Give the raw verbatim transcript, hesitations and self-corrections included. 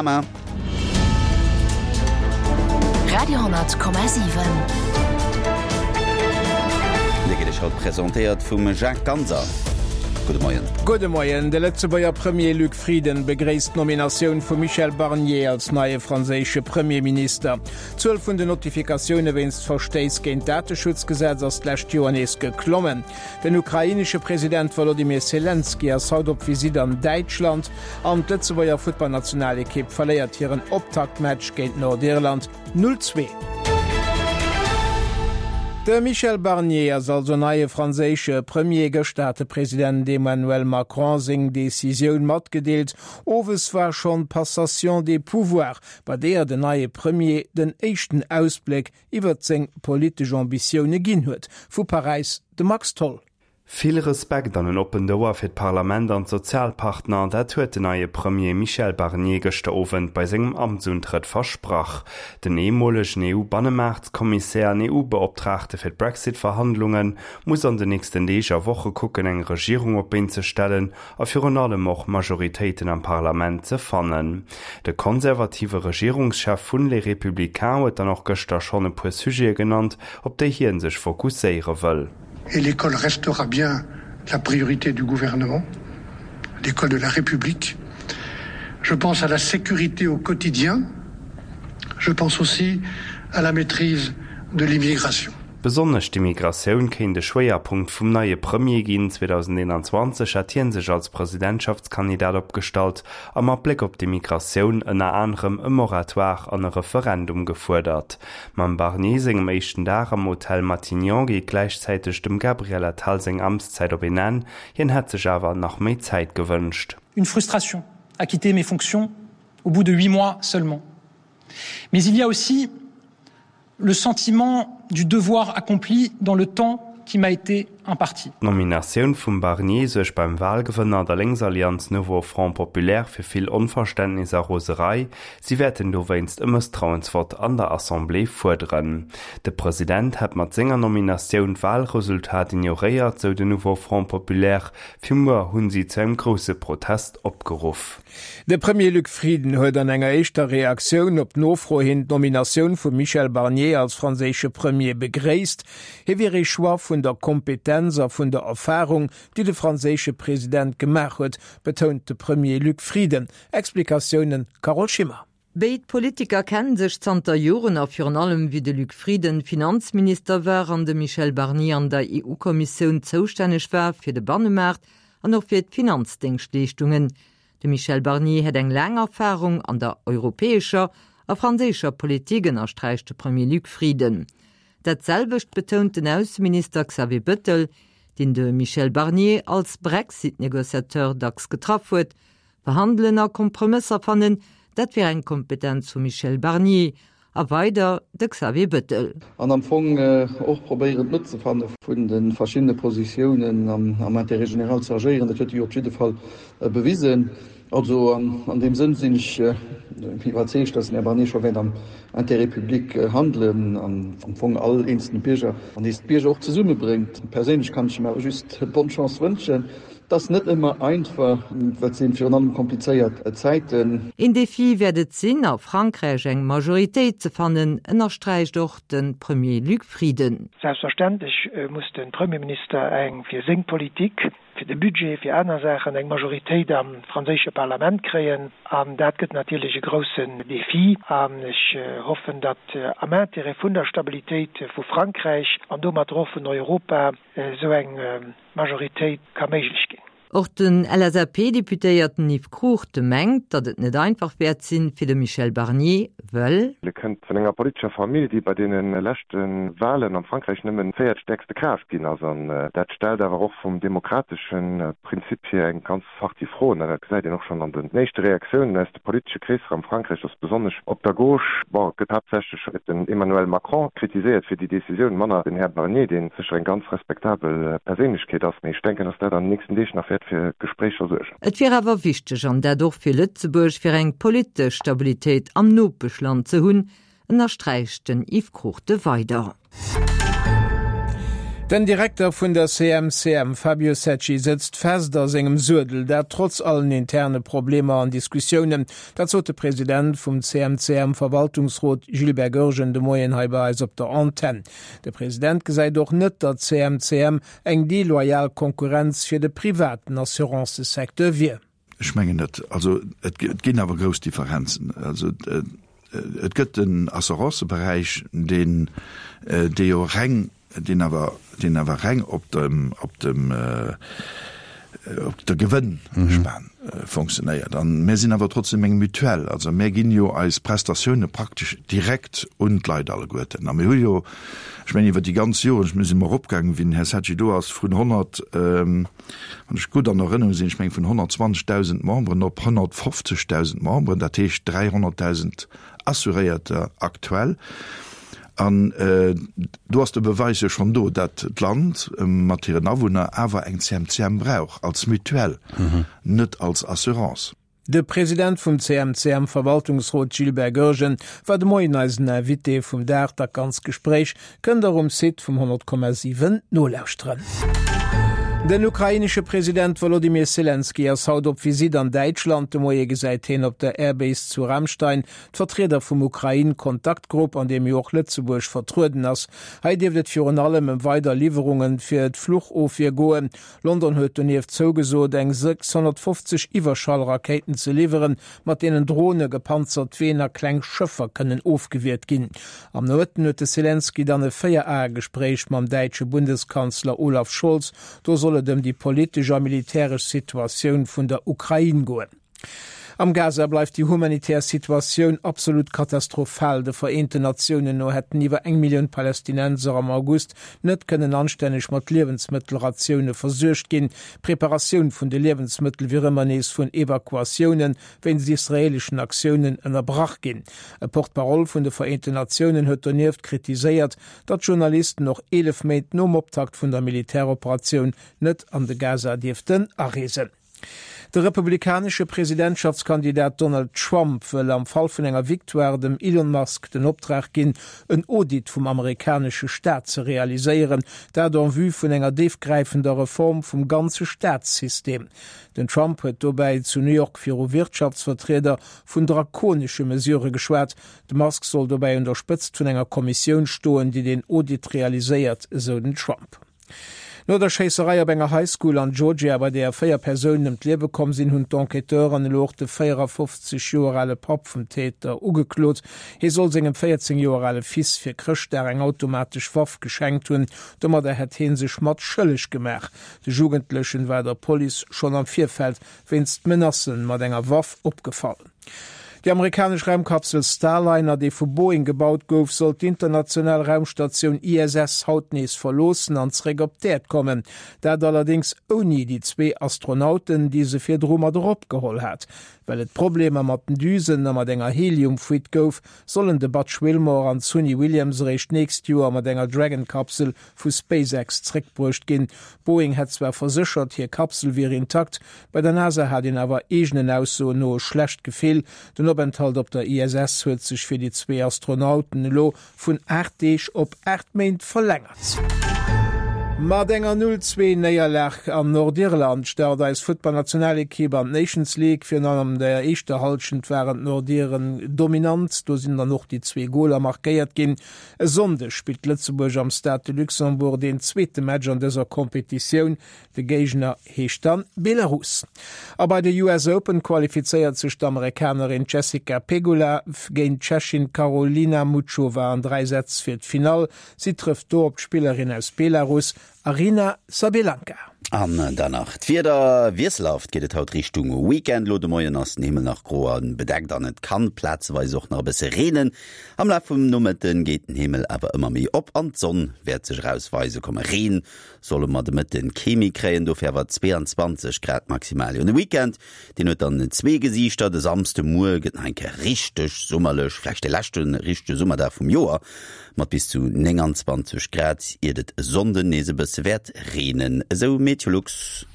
Radio hundert Komma siwen. Dir gëtt iech haut presentéiert vum Jacques Ganser. Gudde Moien. Gudde Moien. De Lëtzebuerger Premier Luc Frieden begréisst d'Nominatioun vum Michel Barnier als neie franséische Premierminister. D'Zuel vun den Notifikatioune wéinst Verstéiss géint d'Dateschutzgesetz ass d'lescht Joer nees geklommen. Den ukrainesche President Wolodymyr Selenskyj ass haut op Visitt an Däitschland an d'Lëtzebuerger Futtballnationalekipp verléiert hiren Optaktmatch géint Nordirland null zwee. De Michel Barnier ass also neie franséische Premier. Gëschter hat de President Emmanuel Macron seng Decisioun matgedeelt. Owes war schonn d'Passation des pouvoirs, bei deeër den neie Premier den éischten Ausbléck iwwert seng politesch Ambitioune ginn huet. Vu Paräis de Max Tholl. Vill Respekt an en oppent Ouer fir d'Parlament an d'Sozialpartner, dat huet den neie Premier Michel Barnier gëschter Owend bei sengem Amtsuntrëtt versprach. Den ehemolegen E U-Bannemaartkommissär an E U-Beoptraagte fir d'Brexit-Verhandlunge muss an den nächsten Deeg a Woche kucken, eng Regierung op d'Been ze stellen a virun allem och Majoritéiten am Parlament ze fannen. De konservative Regierungschef vun Les Républicains huet dann och gëschter schonn e puer Sujete genannt, op déi hie sech fokusséiere wëll. Et l'école restera bien la priorité du gouvernement, l'école de la République. Je pense à la sécurité au quotidien. Je pense aussi à la maîtrise de l'immigration. Besonnesch d'Immigratioun kéint e Schwéierpunkt vum neie Premier ginn. zweedausendeenanzwanzeg hat hie sech als Presidentschaftskandidat opgestallt a mat Bléck op d'Immigratioun ënner anerem e Moratoire an e Referendum gefuerdert. Mam Barnier sengem éischten Dag am Hotel Matignon geet gläichzäiteg dem Gabriel Attal seng Amtszäit op een Enn, hien hätt sech awer nach méi Zäit gewënscht. Une frustration à quitter mes fonctions au bout de huit mois seulement. Mais il y a aussi le sentiment du devoir accompli dans le temps qui m'a été imparti. D'Nominatioun vum Barnier suergt beim Walgewënner, der Lénksallianz Nouveau Front Populaire, fir vill Onverständnis a Roserei. Si wäerten dowéinst e Mësstrauensvott an der Assemblée fuerderen. De President hätt mat senger Nominatioun d'Walresultat ignoréiert, sou den Nouveau Front Populaire. Fir muer hunn si zu engem grousse Protest opgeruff. De Premier Luc Frieden huet an enger éischter Reaktioun op Nofro hin d'Nominatioun vum Michel Barnier als franséische Premier begréisst. Hie wier ee Choix vun der Kompetenz a vun der Erfarung, déi de franséische President gemaach huet, betount de Premier Luc Frieden. Explikatiounen Carole Schimmer. Béid Politiker kennen sech zanter Joren a virun allem wéi de Luc Frieden Finanzminister war an de Michel Barnier an der E U-Kommissioun zoustänneg war fir de Bannemaart an och fir d'Finanzdéngschtleeschtungen. De Michel Barnier hätt eng laang Erfarung an der europäescher a franséischer Politik, ënnersträicht de Premier Luc Frieden. Dat selwecht betount den Ausseminister Xavier Bettel, deen de Michel Barnier als Brexit-Negociateur dacks getraff huet. Verhandelen a Kompromësser fannen, dat wier eng Kompetenz vum Michel Barnier, a weider de Xavier Bettel. An am Fong och probéieren d'Mëtt ze fanne vun de verschiddene Positiounen an am Intérêt général ze agéieren. Dat huet e jo op jidde Fall bewisen. Also an deem Sënn sinn ech iwwerzeegt, datt den Här Barnier scho wäert am Intérêt public handelen an am Fong all eenzelne Bierger an nees d'Bierger och zesummebréngt. Perséinlech kann ech him awer just bonne Chance wënschen. Et ass net ëmmer einfach, well et si virun allem komplizéiert Zäiten. Een Defi wäert et sinn, a Frankräich eng Majoritéit ze fannen, ënnersträicht och de Premier Luc Frieden. Selbstverständlech muss de Premierminister eng fir seng Politik, fir de Budget, fir aner Saachen eng Majoritéit am franséische Parlament kréien. An dat gëtt natierlech e groussen Defi. An ech hoffen, datt am Intérêt vun der Stabilitéit vu Frankräich an domatter och vun Europa esou eng Majoritéit ka méiglech ginn. Och den L S A P-Deputéierten Yves Cruchten mengt, datt et net einfach wäert sinn fir de Michel Barnier, wëll. E kënnt vun enger politescher Famill, déi bei deene leschte Walen am Frankräich nëmmen véiertstäerkste Kraaft ginn ass. An dat stellt awer och vum demokratesche Prinzip hier eng ganz Partie Froen. An dat gesäit een och schonn an den éischte Reaktiounen aus de politesche Kreesser am Frankräich, datt besonnesch op der Gauche, bon, et gëtt haaptsächlech den Emmanuel Macron kritiséiert fir déi Decisioun, manner den Här Barnier, dee sécher eng ganz respektabel Perséinlechkeet ass. Mee ech denken, datt dat an den nächsten Deeg nach wäert fir Gespréicher suergen. Et wier awer wichteg, an dat och fir Lëtzebuerg, fir eng politesch Stabilitéit am Nopeschland ze hunn, ënnersträicht den Yves Cruchten weider. Den Direkter vun der C M C M, Fabio Secci, sëtzt fest a sengem Suedel, dat trotz allen interne Problemer an Diskussiounen. Dat sot de President vum C M C M-Verwaltungsrot Gilbert Goergen de Moien hei bei eis op der Antenn. De President gesäit och net, datt d'C M C M eng deloyal Konkurrenz fir de privaten Assurancësecteur wier. Ech mengen net. Also et ginn awer grouss Differenzen. Also et gëtt den Assuranceberäich, deen dee jo reng, deen awer, deen awer reng op dem, op dem, op der Gewënnspan fonctionnéiert. An mir sinn awer trotzdem eng Mutuelle. Also mir ginn jo eis Prestatioune praktesch direkt un d'Leit alleguerten. A mir hu jo, ech mengen iwwer déi ganz Joren, ech mir si mol eropgaangen, wéi den Här Secci do ass, vun honnert, wann ech gutt an Erënnerung sinn, ech mengen vun honnertzwanzegdausend Memberen op honnertfofzegdausend Memberen, dat heescht dräihonnertdausend Assuréierter aktuell. An do ass de Beweis jo schonn do, datt d'Land mat hiren Awunner awer eng C M C M brauch als Mutuelle, net als Assurance. De President vum C M C M-Verwaltungsrot Gilbert Goergen war de Moien eisen Invité vum Dag. Dat ganzt Gespréich kënnt der um Site vum honnert Komma siwen nolauschteren. Den ukrainesche President Wolodymyr Selenskyj ass haut op Visitt an Däitschland. De Moie gesäit hien op der Airbase zu Ramstein d'Vertrieder vum Ukrain-Kontaktgrupp, an deem jo och Lëtzebuerg vertrueden ass. Hei dierft et virun allem ëm weider Liwwerunge fir d'Fluchofwier goen. London huet donieft zougesot, eng sechshonnertfofzeg Iwwerschallrakéiten ze liwweren, mat deenen Drone, gepanzert Ween a kleng Schëffer kënnen ofgewiert ginn. Am Nomëtten huet de Selenskyj dann e Véier-Ae-Gespréich mam däitsche Bundeskanzler Olaf Scholz. Do soll et ëm déi politesch a militäresch Situatioun vun der Ukrain goen. Am Gaza bleift déi humanitär Situatioun absolut katastrophal. De Vereenten Natiounen no hätten iwwer eng Millioun Palästinenser am August net kënnen anstänneg mat Liewensmëttelratioune versuergt ginn. D'Preparatioun vun de Liewensmëttel wier ëmmer nees vun Evakuatioune wéinst israeeleschen Aktiounen ënnerbrach ginn. E Porte-parole vun de Vereenten Natiounen huet donieft kritiséiert, datt Journalisten och eelef Méint nom Optakt vun der Militäroperatioun net an de Gaza dierften areesen. De republikanesche Presidentschaftskandidat Donald Trump wëll am Fall vun enger Victoire dem Elon Musk den Optrag ginn, en Audit vum amerikanesche Staat ze realiséieren, dat en vue vun enger déifgräifender Reform vum ganze Staatssystem. Den Trump huet dobäi zu New York viru Wirtschaftsvertrieder vun drakonesche Mesurë geschwat. De Musk soll dobäi un der Spëtzt vun enger Kommissioun stoen, déi den Audit realiséiert, esou den Trump. No der Schéisserei op enger High School an Georgia, bei där véier Persounen ëm d'Liewe komm sinn, hunn d'Enquêteuren elo och de véierafofzeg Joer ale Papp vum Täter ugeklot. Hie soll sengem véierzéng Joer ale Fils fir Chrëschtdag eng automatesch Waff geschenkt hunn. Domadder hätt hie sech mat schëlleg gemaach. De Jugendlechen war der Police schonn am Virfeld wéinst Menacen mat enger Waff opgefall. Déi amerikanesch Raumkapsel Starliner, déi vu Boeing gebaut gouf, soll d'international Raumstatioun I S S haut nees verloossen an zeréck op d'Äerd kommen. Dat allerdéngs ouni déi zwee Astronauten, déi se virdru mat eropgeholl hat. Well et Problemer mat den Düsen a mat enger Helium-Fuite gouf, sollen de Butch Wilmore an d'Suni Williams eréischt d'nächst Joer mat enger Dragon-Kapsel vu SpaceX zeréckbruecht ginn. Boeing hätt zwar verséchert, hir Kapsel wier intakt, bei der NASA hat een awer eegenen Aussoen no e schlecht Gefill. Den Openthalt op der I S S huet sech fir déi zwee Astronauten elo vun aacht Deeg op aacht Méint verlängert. Mat enger Null-Zwee-Néierlag an Nordirland start eis Futtballnationalekipp an d'Nations League. Virun allem an der éischter Hallschent waren d'Nordiren dominant, do sinn dann och déi zwee Goler markéiert ginn. E Sonndeg spillt Lëtzebuerg am Stade de Luxembourg deen zweete Match an dëser Kompetitioun. De Géigner heescht dann Belarus. A bei de U S Open qualifizéiert sech d'Amerikanerin Jessica Pegula géint d'Tschechin Karolina Muchova an dräi Sätz fir d'Finall. Si trëfft do op d'Spillerin aus Belarus, Aryna Sabalenka. An dann nach d'Wieder, Wiesselhaft geet et haut Richtung Weekend. Lo de Moien ass den Himmel nach gro a bedeckt an et kann plazeweis och nach e bësse reenen. Am Laf vum Nomëtte geet den Himmel awer ëmmer méi op an d'Sonn wäert sech erausweise kommen. Reen solle mer de Mëtte kee méi kréien, dofir awer zweeanzwanzeg Grad maximal. Jo, de Weekend, deen huet dann zwee Gesiichter. De Samsdemuer gëtt nach eng Kéier richteg summerlech, vläicht de leschte richtege Summerdag vum Joer mat bis zu nénganzwanzeg Grad, iert et e Sonnden nees e bësse wäert reenen, esou Meteolux.